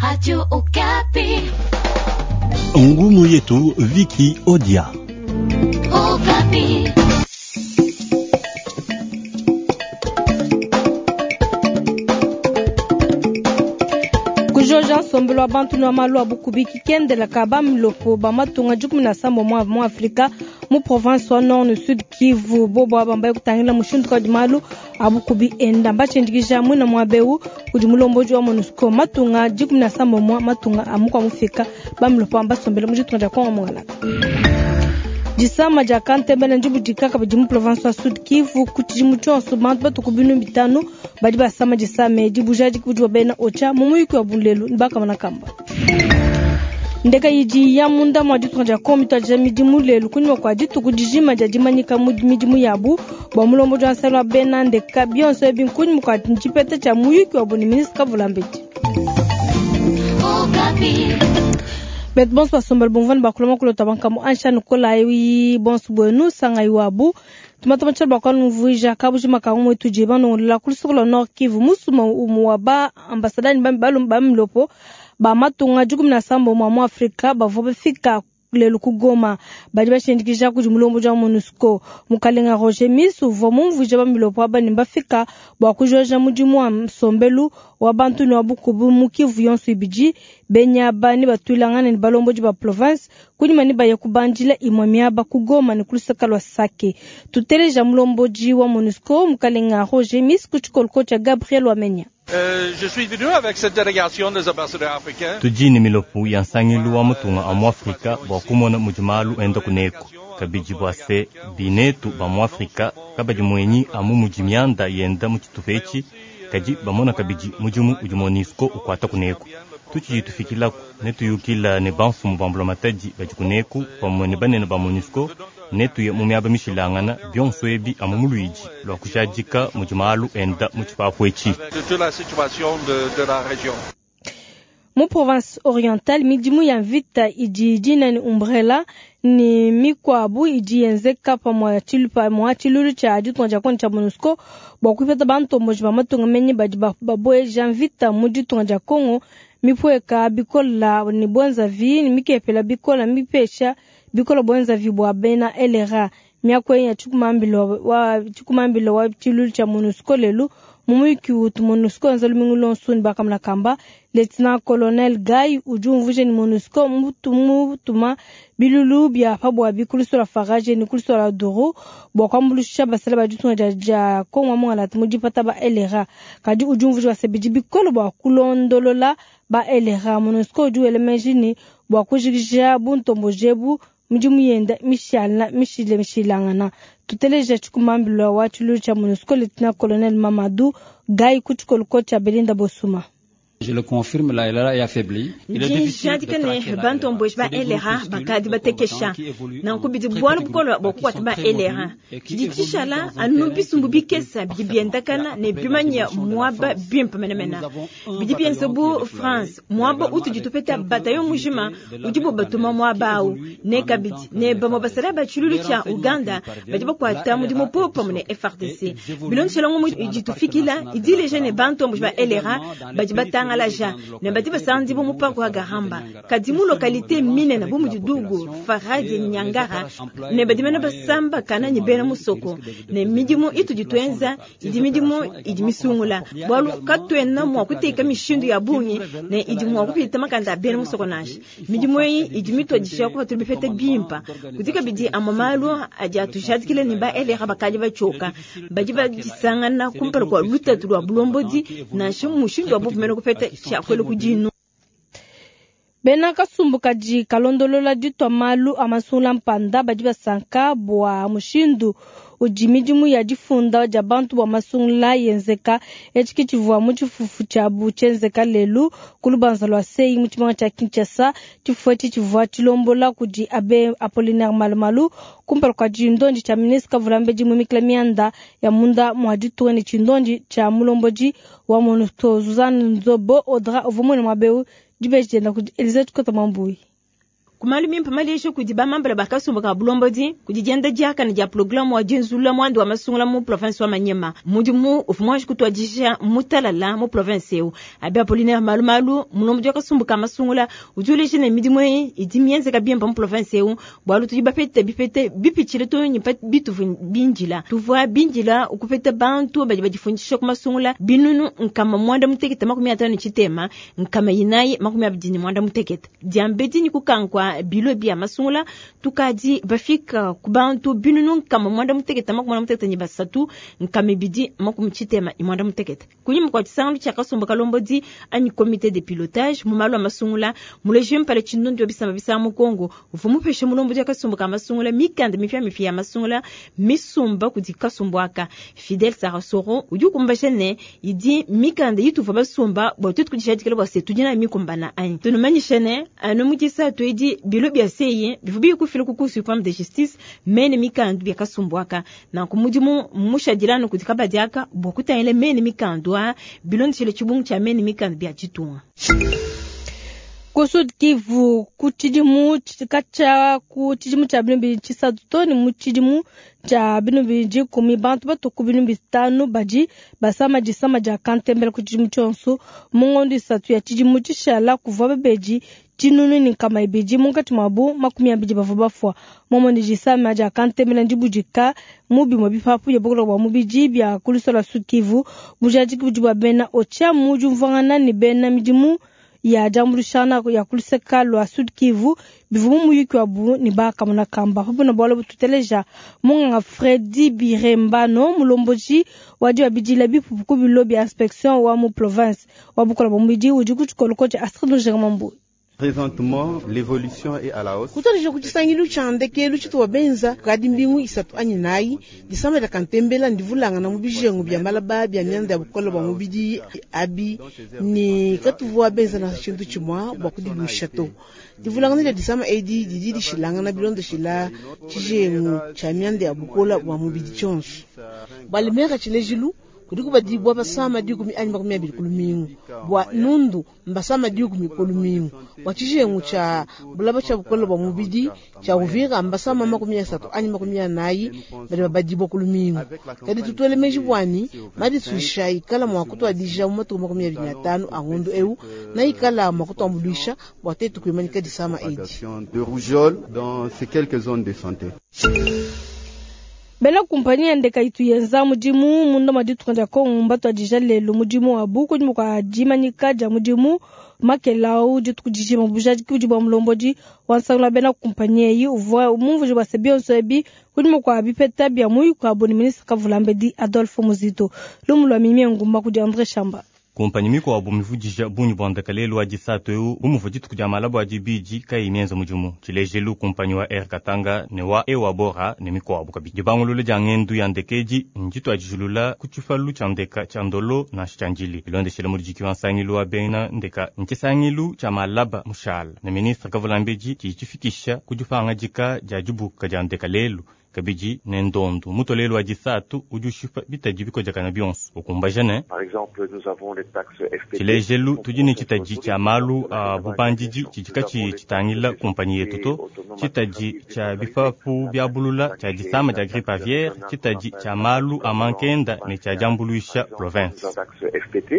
Radio Okapi. Ngumu yetu Viki Odia. Okapi. Kujoja nsombelu wa bantu ne wa malu a bukubi kikendela ka ba milopo ba matunga 17 mu Afrika mu province wa Nord ne Sud Kivu. Bobo aba mbaye kutangila mushindu kadi malu a bukubi enda mbatshindikija mwina muaba kudi mulombodi wa MONUSCO matunga 17 matunga a mukua mufika ba milopo mbasombele mu ditunga dia Kongo Mungalaka. Disama dia kantembele ndibudika kabidi mu province wa Sud Kivu ku tshidimu tshionso bantu batuku 5000 badi basama disama edi bujadiki budi bena OCHA mu muyuki wa bulelu ne bakamana kamba. Ndeka idi ya munda mwa ditunga dia Kongo mituadija midimu lelu kunyima kua dituku dijima dia dimanyika mu midimu yabu bua mulombodi wa nsala wa bena ndeka bionso ebi nkunyima kua tshipeta tshia muyuki wabu ne ministre Kavulambedi. Betu bonso basombela bomvani bakuloma kulota bankamu ansha nukola yi bonso bwenu sanga iwabu tumatama tshala bakwanumvuija kabujima kangu mwetu je banongolela kulusuku lwa Nord Kivu musuma umu wa ba ambasadani ba milopo ba matunga 17 mwa mu Afrika bavua bafika lelu ku Goma badi bashindikija kudi mulombodi wa MONUSCO mukalenga Roger Miss uvua mumvuija ba milopo aba ne bafika bua kujoja mudimu wa nsombelu wa bantu ne wa bukubi mu Kivu yonso ibidi benya ne batuilangana ne balombodi ba province kunyima ne baya kubandila imue miaba ku Goma ne kulusaka lwa Sake. Tuteleja mulombodi wa MONUSCO mukalenga Roger Miss ku tshikoloko tshia Gabriel Wamenya. Je suis venu avec cette délégation des ambassadeurs africains. Tudi ne milopo ya nsangilu wa mutunga a mu Afrika bua kumona mudi malu enda kuneku kabidi bua se binetu ba mu Afrika kabadi muenyi amu mudi mianda yenda mu tshitupa etshi kadi bamona kabidi mudimu udi MONUSCO ukuata kuneku. Tutshidi tufikilaku ne tuyukila ne bamfumu ba mbulamatadi badi kuneku pamue ne banene ba MONUSCO ne tuye mu miaba mishilangana bionso ebi amu mu luidi lua kujadika mudi malu enda mu tshipapu etshi. Mu province orientale midimu ya mvita idi dina ni umbrella ni mikwabu idi yenzeka pamue mwa tshilulu tshia ditunga dia Kongo tshia MONUSCO bua kupeta bantomboji ba matunga menyi badi babueja mvita mu ditunga dia Kongo mipueka bikola ni bwenzavi ni mikepela bikola mipesha bikola bwenzavi bua bena LRA miaku ya tshikumambilo wa tshilulu tshia MONUSCO lelu mu muyuki utu MONUSCO enza lumingu lonso ne bakamuna kamba Lieutenant Colonel Guy udi umvuija ne MONUSCO mutuma bilulu bia pabuabi kulusola Farage ne kulusola Duru bua kuambuluisha basala ba ditunga dia Kongo Mungalata mu dipata ba LRA kadi udi umvuija bua bikole bua kulondolola ba LRA. MONUSCO udi wela meji ne bua kujikija buntomboji ebu midimu yenda mishilangana. Tuteleja tshikumambilo wa tshilulu tshia MONUSCO Lieutenant Colonel Mamadou Gaye ku tshikoloko tshia Belinda Bosuma. Je le confirme, la LRA est affaiblie. Ndi ne bantomboji ba LRA bakadi batekesha nanku bidi bualu bukole bua kukuata ba LRA tshidi tshishala anu bisumbu bikesa bidi biendakana ne bimanya muaba bimpe menemene bidi bienza bu France muaba utudi tupeta bataillon mujima udibo batuma muaba awu ne kabidi ne bamue basala ba tshilulu tshia Uganda badi bakuata mudimu popamue ne FARDC bilondeshela ngumu idi tufikila idi ileja ne bantomboji ba LRA badi batanga laja ne badi basandibu mu parc wa Garamba kadi mu localité minene bu mudi Dugu Faradi Nyangara ne badi mene basamba kana ni bena musoko ne midimu itudi tuenza idi midimu idi misungula bualu katuena mua kuteka mishindu ya bungi ne idi mua kupita makanda a bena musoko nansha midimu eyi idi mituadisha kuba tuli bipeta bimpa kudi kabidi amue malu adi atujadikile ne ba LRA bakadi batshioka badi badisangana kumpala kua lutatu lua bulombodi nansha mushindu wa buvumene kupeta tshiakuela kudinu. Bena kasumbu kadi kalondolola ditua malu a masungula mpanda badi basanka bua mushindu udi midimu ya difunda dia bantu bua masungula yenzeka etshi ke tshivua mu tshifufu tshiabu tshienzeka lelu ku lubanza lua sei mu tshimenga tshia Kinshasa. Tshifufu etshi tshivua tshilombola kudi Abe Apollinaire Malumalu kumpala kua tshindondi tshia ministre Kavulambedi mumikila mianda ya munda mua ditunga ne tshindondi tshia mulombodi wa MONUSCO Suzanne Nzobo Audra uvua muene muaba eu dibeji dienda kudi Elisabeth Kota Mambuyi. Ku malu mimpe maleja kudi bamambala ba kasumbu ka bulombodi kudi dienda diakane dia programe wa dienzulula muanda wa masungula mu province wa Maniema. Mudimu uvua muanji kutuadija mutalala mu province eu. Abbe Apollinaire Malumalu, mulombodi wa kasumbu ka masungula, udi uleja ne midimu eyi idi mienzeka bimpe mu province eu, bualu tudi bapete bipete bipitshile too ne pa bituvua bindila. Tuvua bindila kupeta bantu badi badifundisha ku masungula 363 428. Diambedi ne kukanka bilo bia masungula, tukadi bafika ku bantu 963 268. Kunyima kua tshisangilu tshia kasumbu kalombodi anyi comite de pilotage mu malu a masungula, muleji mpala tshindondi wa bisamba bisanga mu Kongo uvua mupeshe mulombodi wa kasumbu ka masungula mikanda mipiamipia ya masungula misumba kudi kasumbu aka. Fidel Sarasoro udi ukumbaja ne idi mikanda ituvua basumba bua tuetu kudijadikila bua se tudi nayi mikumbana anyi. Tunumanyishe ne anu mu disatu edi bilo bia CEI bivua biye kufila ku Cour supreme de justice mene mikandu bia kasumbu aka. Nanku mudimu mmushadila anu kudi kabadi aka bua kutangila mene mikandu aa bilondeshile tshibungu tshia mene mikandu bia ditunga. Ku Sud Kivu, ku tshidimu katshia ku tshidimu tshia 2003 too ne mu tshidimu tshia 2010, bantu batue ku 5000 badi basama disama dia kantembela ku tshidimu tshionso. Mu ngondo 3 ya tshidimu tshishala kuvua babedi 1200, munkatshi muabu 20 bavua bafua. Momone disama dia kantembela ndibudika mu bimue bipapu bia bukole bua mubidi bia ku luseke lua Sud Kivu. Bujadiki budi bua bena OCHA mu diumvuangana ne bena midimu ya diambuluishangana ya ku luseke lua Sud Kivu bivua mu muyuki wabu ne bakamona kamba. Pabuna bualu bututeleja munganga Fredi Birembano, mulombodi wa diabidila bipupu ku bilo bia inspection wa mu province wa bukole bua mubidi udi ku tshikoloko tshia Astrid Njermambu. Présentement, l'évolution est à la hausse. Kutuadija ku tshisangilu tshia ndekelu tshituwa benza kukadi mbingu 3 anyi 4, disama dia kantembela ndivulangana mu bijengu bia malaba bia mianda ya bukole bua mubidi abi ne katuvua benza na tshintu tshimue bua kudiluisha to. Divulangana dia disama edi didi dishilangana bilondeshila tshijengu tshia mianda ya bukole bua mubidi tshionso. Balemeka tshilejilu kudi kubadibwa basama 10 anyi 20 ku lumingu, bua nundu mbasama 10 ku lumingu, bua tshijengu tshia bulaba tshia bukole bua mubidi tshia Uvira mbasama 30 anyi 40 badi babadibwa ku lumingu. Kadi tutuele meji bwani madisuisha ikala mua kutuadija mu matuku 25 a ngondo eu na ikala mua kutuambuluisha bua tetu kuimanyika disama edi. De rougeole dans ces quelques zones de santé. Bena kumpanyi ya ndeka itu yenza mudimu munda mwa ditunga dia Kongo mbatuadija lelo mudimu wabu kunyima kua dimanyika dia mudimu makelau dituku dijima. Bujadiki budi bua mulombodi wa nsangilu wa bena kumpanyi eyi uvua mumvuije bua se bionso ebi kunyima kua bipeta bia muyuki wabu ne ministre Kavulambedi Adolphe Muzito. Lumu lua Mimie Ngumba kudi André Shamba. Kumpanyi mikuabu mivudija bungi bua ndeka lelu wa disatu eu bumuvua dituku dia malaba a dibidi kayi mienza mudimu. Tshilejelu kumpanyi wa Air Katanga ne wa Ewa Bora ne mikuabu kabidi. Dibangulula dia ngendu ya ndeka edi ndituadijilula ku tshipalu tshia ndeka tshia Ndolo nansha tshia Ndjili. Bilondeshele muludiki wa nsangilu wa bena ndeka ntshisangilu tshia malaba mushala ne ministre Kavulambedi tshidi tshifikisha ku dipangadika dia dibuka dia ndeka lelu. Kabidi ne ndondu mutolelo wa disatu udi ushipa bitadi bikodekana bionso ukumbaja ne tshilejelu tudi ne tshitadi tshia malu a bubandidi tshidi katshiyi tshitangila kumpanyi yetu to, tshitadi tshia bipapu bia bulula tshia disama dia grippe aviaire, tshitadi tshia malu a mankenda ne tshia diambuluisha province.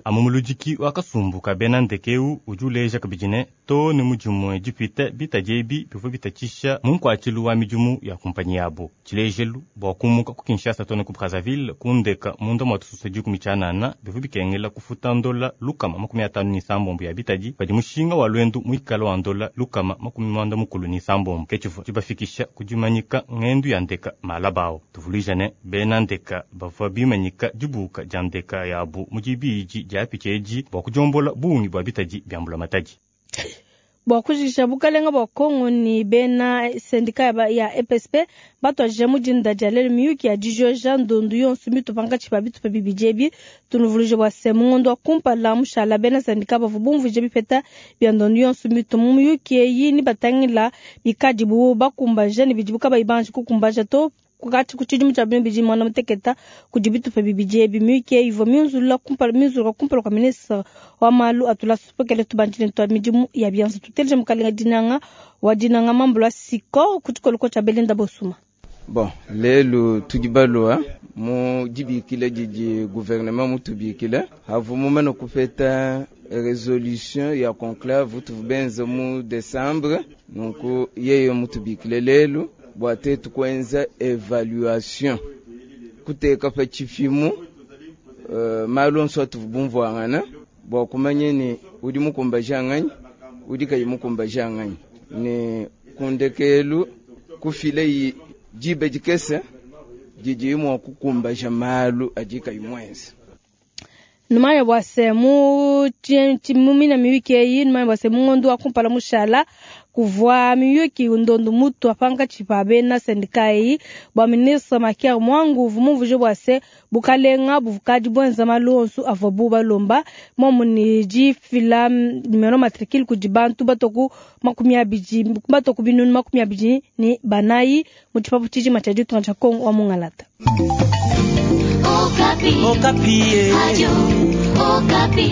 Amu muludiki wa kasumbu ka bena ndeka eu udi uleja kabidi ne to ne mudimue dipita bitadi ebi bivua bitatshisha mu nkuatshilu wa midimu ya kumpanyi yabo. Tshilejelu bua kumuka ku Kinshasa to ne ku Brazzaville kundeka munda mua tususa 19 bivua bikengela kufuta ndola 157 ya bitadi padi mushinga wa lwendu muikala wa ndola 197. Ke tshivua tshibafikisha ku dimanyika ngendu ya ndeka malabao. Tuvuluija ne bena ndeka bavua bimanyika dibuka dia ndeka yabu mu dibidi dia picha edi bua kudiombola bungi bua bitadi bia mbulamatadi. Bua kujikija bukalenga bua Kongo ni bena sendika ya EPSP batuadija mu dinda dia lelu miyuki ya dijoja ndondu yonso mitupa nkatshi pa bitupa bibidi ebi. Tunuvuluije bua se mu ngondo wa kumpala mushala bena sendika bavua bumvuije bipeta bia ndondu yonso mitu mu miyuki eyi ni batangila bikadibu bakumbaja ne bidibu kabayi banji kukumbaja to. Katshi ku tshidimu tshia 2016 kudi bitupa bibidi ebi. Miyuki eyi ivua miunzulula kumpala miunzuluka kumpala kua ministre wa malu a tulasa tupokele tubandile ne tua midimu ya bianza. Tuteleje mukalenga Dinanga wa Dinanga Mambula Siko ku tshikoloko tshia Belinda Bosuma. Bon, lelu tudi balua mu dibikila didi gouvernement mutubikile havu mumane kupeta resolution ya conclave tuvu benze mu décembre. Nunku yeye mutubikile lelu bua tetu kuenza evaluation, kuteka pa tshipimu malu onso atuvu bumvuangana bua kumanya ni udi mukumbaja nganyi, udi kayi mukumbaja nganyi, ne kundekelu kufile diba dikese didi mua kukumbaja malu adi kayi muenze. Numanya bua se mu mina miyuki eyi, numanya bua se mu ngondo wa kumpala mushala kuvua miyuki ndondu mutu pankatshi pa bena sendika eyi bua ministre Makiar Mwangu uvua mumvuje bua se bukalenga bukadi buenza malu onso avuabu balomba momu ne difila numero matricule kudi bantu batoku 20 batoku binunu 24 mu tshipapu tshijima tshia ditunga tshia Kongo wa Mungalata. Okapi. Okapi. Radio Okapi.